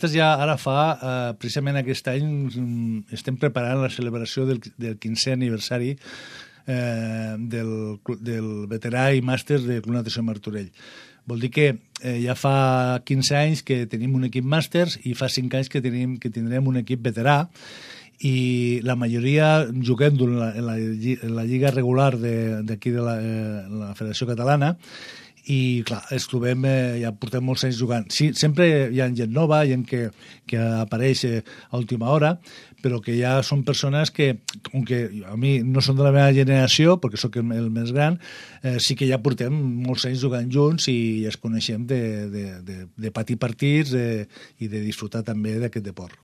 Ja ara fa, precisament aquest any, estem preparant la celebració del 15è aniversari del veterà i màster del Club Natació Martorell. Vol dir que ja fa 15 anys que tenim un equip màsters i fa 5 anys que tindrem un equip veterà, i la majoria juguem en la lliga regular d'aquí de la Federació Catalana, i clar, ens trobem, ja portem molts anys jugant. Sí, sempre hi ha gent nova, gent que apareix a última hora, però que ja són persones que, com que a mi no són de la meva generació, perquè sóc el més gran, sí que ja portem molts anys jugant junts i ja es coneixem de patir partits i de disfrutar també d'aquest deport.